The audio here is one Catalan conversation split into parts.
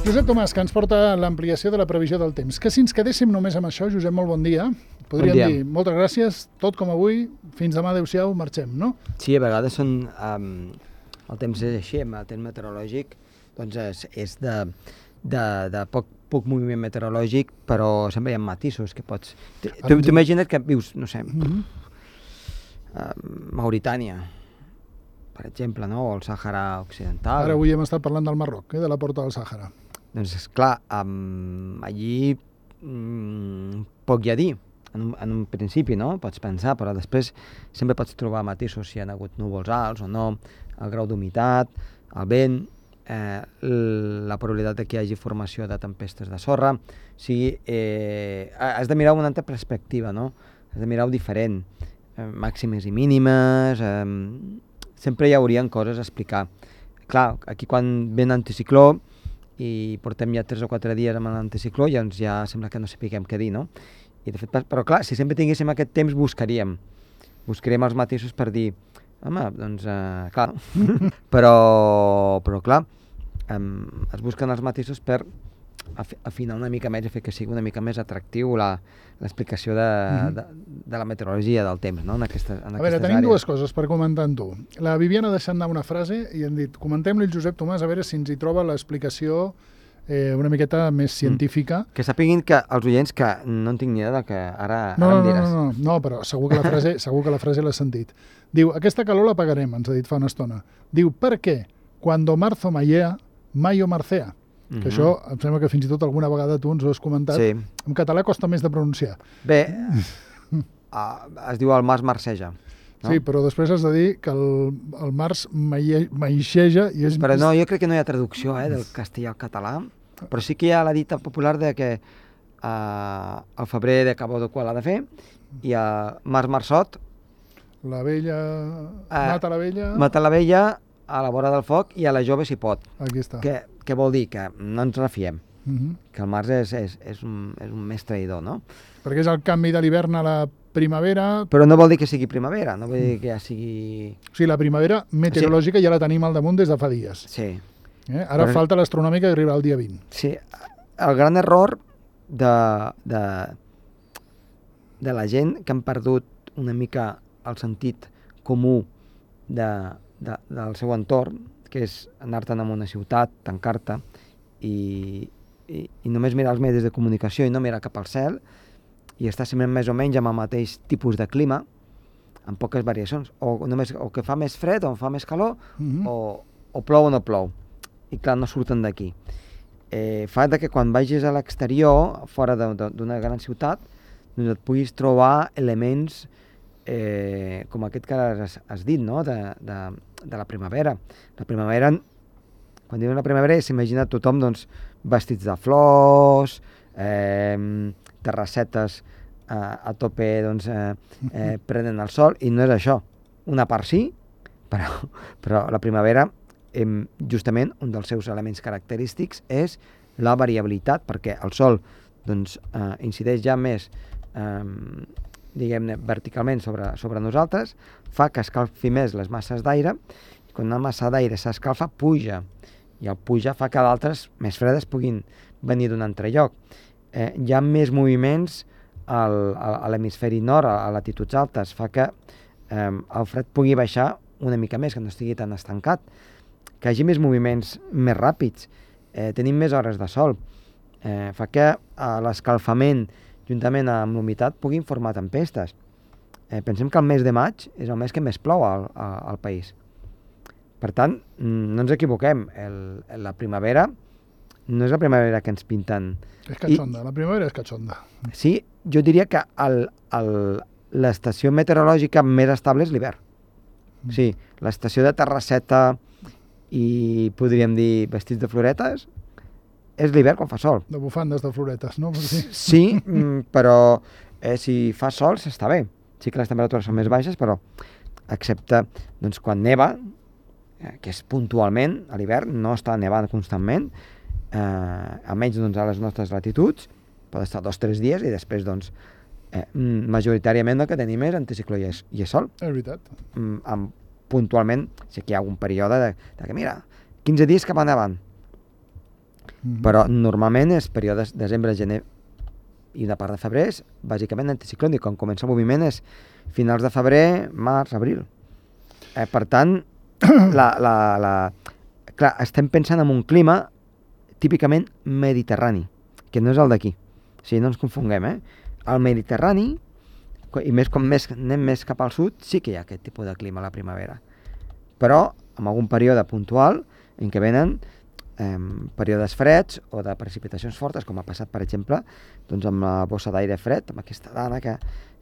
Josep Tomàs, que ens porta l'ampliació de la previsió del temps. Que si ens quedéssim només amb això, Josep, molt bon dia. Podríem dir, moltes gràcies, tot com avui, fins demà, adéu-siau, marxem, no? Sí, a vegades són... el temps és així, el temps meteorològic doncs és de poc moviment meteorològic, però sempre hi ha matisos que pots... Tu imagina't que vius, no sé, Mauritània, per exemple, no? O el Sàhara Occidental. Ara avui hem estat parlant del Marroc, de la porta del Sàhara. Doncs esclar, allí poc hi ha a dir, en un principi, no? Pots pensar, però després sempre pots trobar matisos si hi ha hagut núvols alts o no, el grau d'humitat, el vent, la probabilitat que hi hagi formació de tempestes de sorra. O sigui, has de mirar una altra perspectiva, no? Has de mirar-ho diferent, màximes i mínimes, sempre hi haurien coses a explicar. Clar, aquí quan ve l'anticicló i portem ja 3 o 4 dies amb l'anticicló, doncs ja sembla que no sapiguem què dir, no? I de fet, però clar, si sempre tinguéssim aquest temps buscaríem els matisos per dir, home, doncs, clar, però clar, es busquen els matisos per afinar una mica més i fer que sigui una mica més atractiu l'explicació de la meteorologia del temps, no? En aquestes àrees. A veure, tenim dues coses per comentar amb tu. La Viviana ha deixat anar una frase i hem dit, comentem-li al Josep Tomàs a veure si ens hi troba l'explicació una miqueta més científica. Que sapiguin que els oients que no en tinc ni idea del que ara em diràs. No, però segur que la frase l'has sentit. Diu, aquesta calor la pagarem, ens ha dit fa una estona. Diu, per què? Cuando marzo mayea, mayo marcea. Que això, em sembla que fins i tot alguna vegada tu ens ho has comentat. Sí. En català costa més de pronunciar. Bé, es diu el març marceja. No? Sí, però després has de dir que el març maixeja i és... Però no, jo crec que no hi ha traducció del castellà al català, però sí que hi ha la dita popular de que al febrer de cabó de qual ha de fer i a març marçot... La vella... mata la vella... Mata la vella a la vora del foc i a la jove si pot. Aquí està. Què vol dir? Que no ens refiem. Que el març és un més traïdor, no? Perquè és el canvi de l'hivern a la primavera... Però no vol dir que sigui primavera, no vol dir que ja sigui... O sigui, la primavera meteorològica ja la tenim al damunt des de fa dies. Sí. Ara falta l'astronòmica que arribarà el dia 20. Sí, el gran error de la gent que han perdut una mica el sentit comú del seu entorn, que és anar-te'n a una ciutat, tancar-te i només mirar els medis de comunicació i no mirar cap al cel i estar sempre més o menys amb el mateix tipus de clima, amb poques variacions, o que fa més fred o fa més calor, o plou o no plou. I clar, no surten d'aquí. Fa que quan vagis a l'exterior, fora d'una gran ciutat, doncs et puguis trobar elements com aquest que has dit, no? De la primavera. La primavera, quan diuen la primavera, s'imagina tothom vestits de flors, terrassetes a tope prenen el sol, i no és això. Una part sí, però la primavera, justament, un dels seus elements característics és la variabilitat, perquè el sol incideix ja més diguem-ne, verticalment sobre nosaltres, fa que escalfi més les masses d'aire, i quan una massa d'aire s'escalfa, puja, i el puja fa que d'altres més fredes puguin venir d'un altre lloc. Hi ha més moviments a l'hemisferi nord, a latituds altes, fa que el fred pugui baixar una mica més, que no estigui tan estancat, que hi hagi més moviments més ràpids, tenim més hores de sol, fa que l'escalfament juntament amb l'humitat puguin formar tempestes. Pensem que el mes de maig és el mes que més plou al país. Per tant, no ens equivoquem, la primavera no és la primavera que ens pinten. És catxonda, la primavera és catxonda. Sí, jo diria que l'estació meteorològica més estable és l'hivern. Sí, l'estació de terrasseta i podríem dir vestits de floretes és l'hivern quan fa sol. De bufandes de floretes, no? Sí, però si fa sol s'està bé. Sí que les temperatures són més baixes, però excepte quan neva, que és puntualment, a l'hivern no està nevant constantment, almenys a les nostres latituds, pot estar 2 o 3 dies i després majoritàriament el que tenim és anticicló i és sol. És veritat. Puntualment, sí que hi ha algun període de que, mira, 15 dies cap endavant. Però normalment és períodes desembre, gener i una part de febrer és bàsicament anticiclònic. Quan comença el moviment és finals de febrer, març, abril. Per tant, clar, estem pensant en un clima típicament mediterrani, que no és el d'aquí. O sigui, no ens confonguem, El Mediterrani, i més com anem més cap al sud, sí que hi ha aquest tipus de clima a la primavera. Però en algun període puntual en què venen períodes freds o de precipitacions fortes, com ha passat, per exemple, doncs amb la bossa d'aire fred, amb aquesta dada que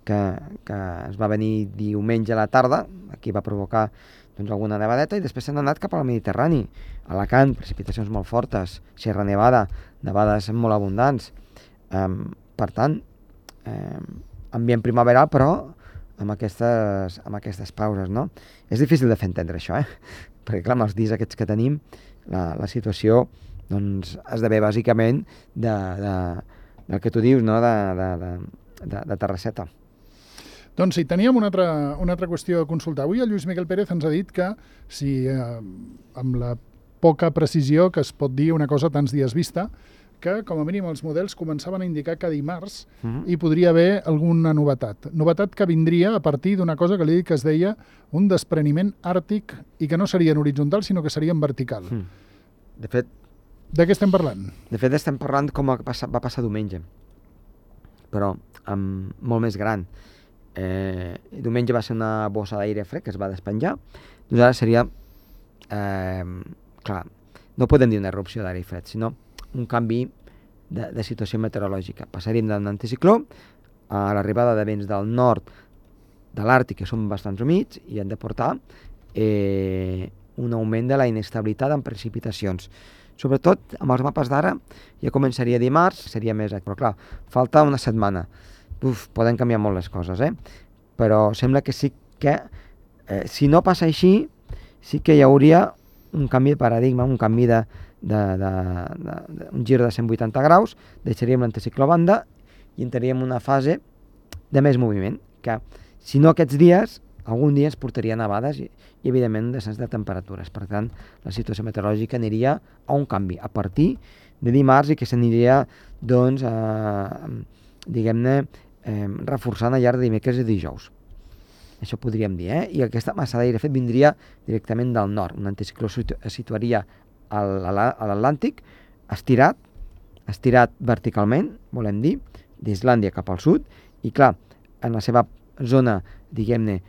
ens va venir diumenge a la tarda, aquí va provocar doncs, alguna nevadeta, i després s'han anat cap al Mediterrani. Alacant, precipitacions molt fortes, Sierra Nevada, nevades molt abundants. Per tant, ambient primaveral, però amb aquestes pauses, no? És difícil de fer entendre això, perquè clar, amb els dies aquests que tenim, la situació doncs, esdevé bàsicament del que tu dius, no? de terrasseta. Doncs sí, teníem una altra qüestió a consultar. Avui el Lluís Miquel Pérez ens ha dit que si amb la poca precisió que es pot dir una cosa tants dies vista, que com a mínim els models començaven a indicar que dimarts hi podria haver alguna novetat. Novetat que vindria a partir d'una cosa que li he dit que es deia un despreniment àrtic i que no seria en horitzontal, sinó que seria en vertical. De fet... De què estem parlant? De fet, estem parlant com va passar diumenge, però molt més gran. Diumenge va ser una bossa d'aire fred que es va despenjar, doncs ara seria... clar, no podem dir una erupció d'aire fred, sinó un canvi de situació meteorològica. Passaríem d'un anticicló a l'arribada de vents del nord de l'Àrtic, que són bastants humits, i han de portar un augment de la inestabilitat en precipitacions. Sobretot, amb els mapes d'ara, ja començaria dimarts, seria més... Però clar, falta una setmana. Poden canviar molt les coses, Però sembla que sí que, si no passa així, sí que hi hauria un canvi de paradigma, un canvi un gir de 180 graus, deixaríem l'anticicló a banda i entraríem en una fase de més moviment, que si no aquests dies, algun dia ens portaria nevades i evidentment un descens de temperatures. Per tant, la situació meteorològica aniria a un canvi a partir de dimarts i que s'aniria, doncs, diguem-ne, reforçant al llarg de dimecres i dijous. Això podríem dir, I aquesta massa d'aire fred vindria directament del nord. Un anticicló es situaria a l'Atlàntic, estirat verticalment, volem dir, d'Islàndia cap al sud, i clar, en la seva zona, diguem-ne,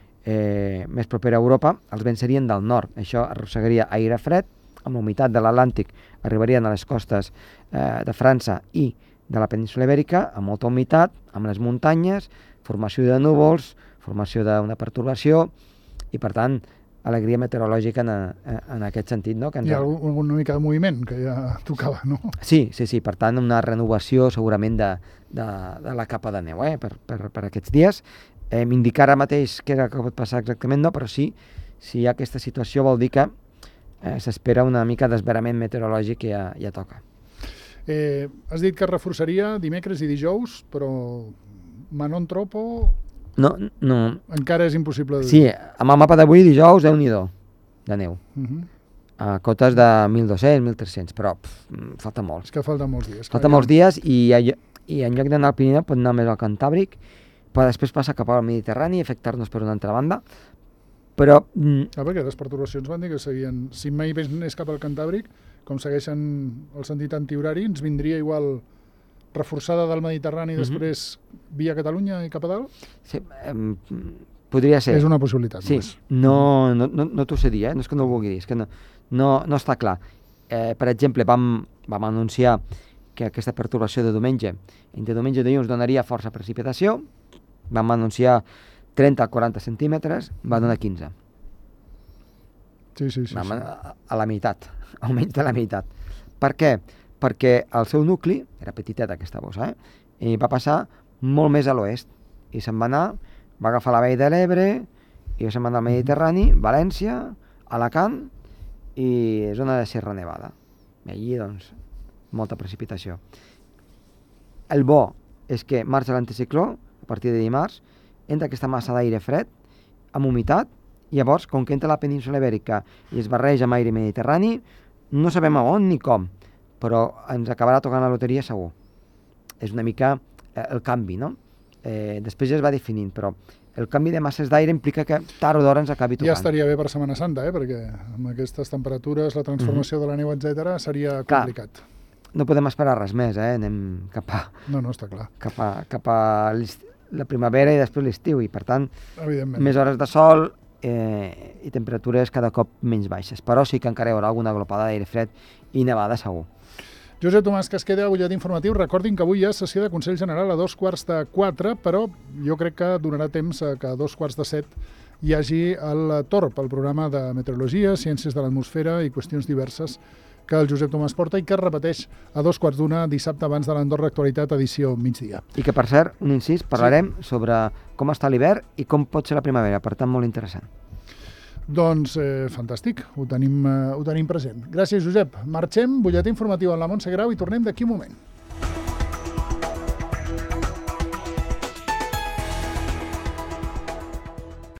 més propera a Europa, els vents serien del nord. Això arrossegaria aire fred, amb la humitat de l'Atlàntic arribarien a les costes de França i de la península Ibèrica, amb molta humitat, amb les muntanyes, formació de núvols, formació d'una pertorbació, i per tant, alegria meteorològica en aquest sentit, no? Hi ha alguna mica de moviment, que ja tocava, no? Sí, per tant, una renovació segurament de la capa de neu, per aquests dies. Indicar ara mateix què és el que pot passar exactament, no, però sí, si hi ha aquesta situació vol dir que s'espera una mica d'esverament meteorològic que ja toca. Has dit que reforçaria dimecres i dijous, però Manon Tropo... No. Encara és impossible de dir. Sí, amb el mapa d'avui, dijous, Déu-n'hi-do, de neu. A cotes de 1.200, 1.300, però falta molt. És que falta molts dies. Falta molts dies i en lloc d'anar al Pirineu pot anar més al Cantàbric, però després passa cap al Mediterrani i afectar-nos per una altra banda. Però... perquè les perturbacions van dir que seguien... Si mai anés cap al Cantàbric, com segueixen el sentit antihorari, ens vindria igual... reforçada del Mediterrani després via Catalunya i cap a dalt? Sí, podria ser. És una possibilitat. Sí, no t'ho sé dir, no és que no ho vulgui dir, és que no està clar. Per exemple, vam anunciar que aquesta pertorbació de diumenge, entre diumenge i dilluns donaria força precipitació, vam anunciar 30 a 40 centímetres, va donar 15. Sí. A la meitat, almenys de la meitat. Per què? Perquè el seu nucli, era petiteta aquesta bossa, i va passar molt més a l'oest, i se'n va anar, va agafar la vall de l'Ebre, i se'n va anar al Mediterrani, València, Alacant, i zona de Sierra Nevada. I allí, doncs, molta precipitació. El bo és que marxa l'anticicló, a partir de dimarts, entra aquesta massa d'aire fred, amb humitat, i llavors, com que entra a la península Ibèrica i es barreja amb aire mediterrani, no sabem a on ni com, però ens acabarà tocant la loteria segur. És una mica el canvi, no? Després ja es va definint, però el canvi de masses d'aire implica que tard o d'hora ens acabi tocant. Ja estaria bé per Setmana Santa, perquè amb aquestes temperatures, la transformació de la neu, etc., seria complicat. No podem esperar res més, anem cap a... No, està clar. Cap a la primavera i després l'estiu, i per tant, evidentment, més hores de sol i temperatures cada cop menys baixes. Però sí que encara hi haurà alguna glopada d'aire fred i nevada segur. Josep Tomàs Casqueda, butlletí informatiu. Recordin que avui hi ha sessió de Consell General a 2:45, però jo crec que donarà temps que a 2:45 hi hagi el TORP, el programa de meteorologia, ciències de l'atmosfera i qüestions diverses que el Josep Tomàs porta i que es repeteix a 2:15 dissabte abans de l'Andorra Actualitat, edició migdia. I que, per cert, un incís, parlarem sobre com està l'hivern i com pot ser la primavera, per tant, molt interessant. Doncs fantàstic, ho tenim present. Gràcies, Josep. Marxem, butlletí informatiu amb la Montse Grau i tornem d'aquí un moment.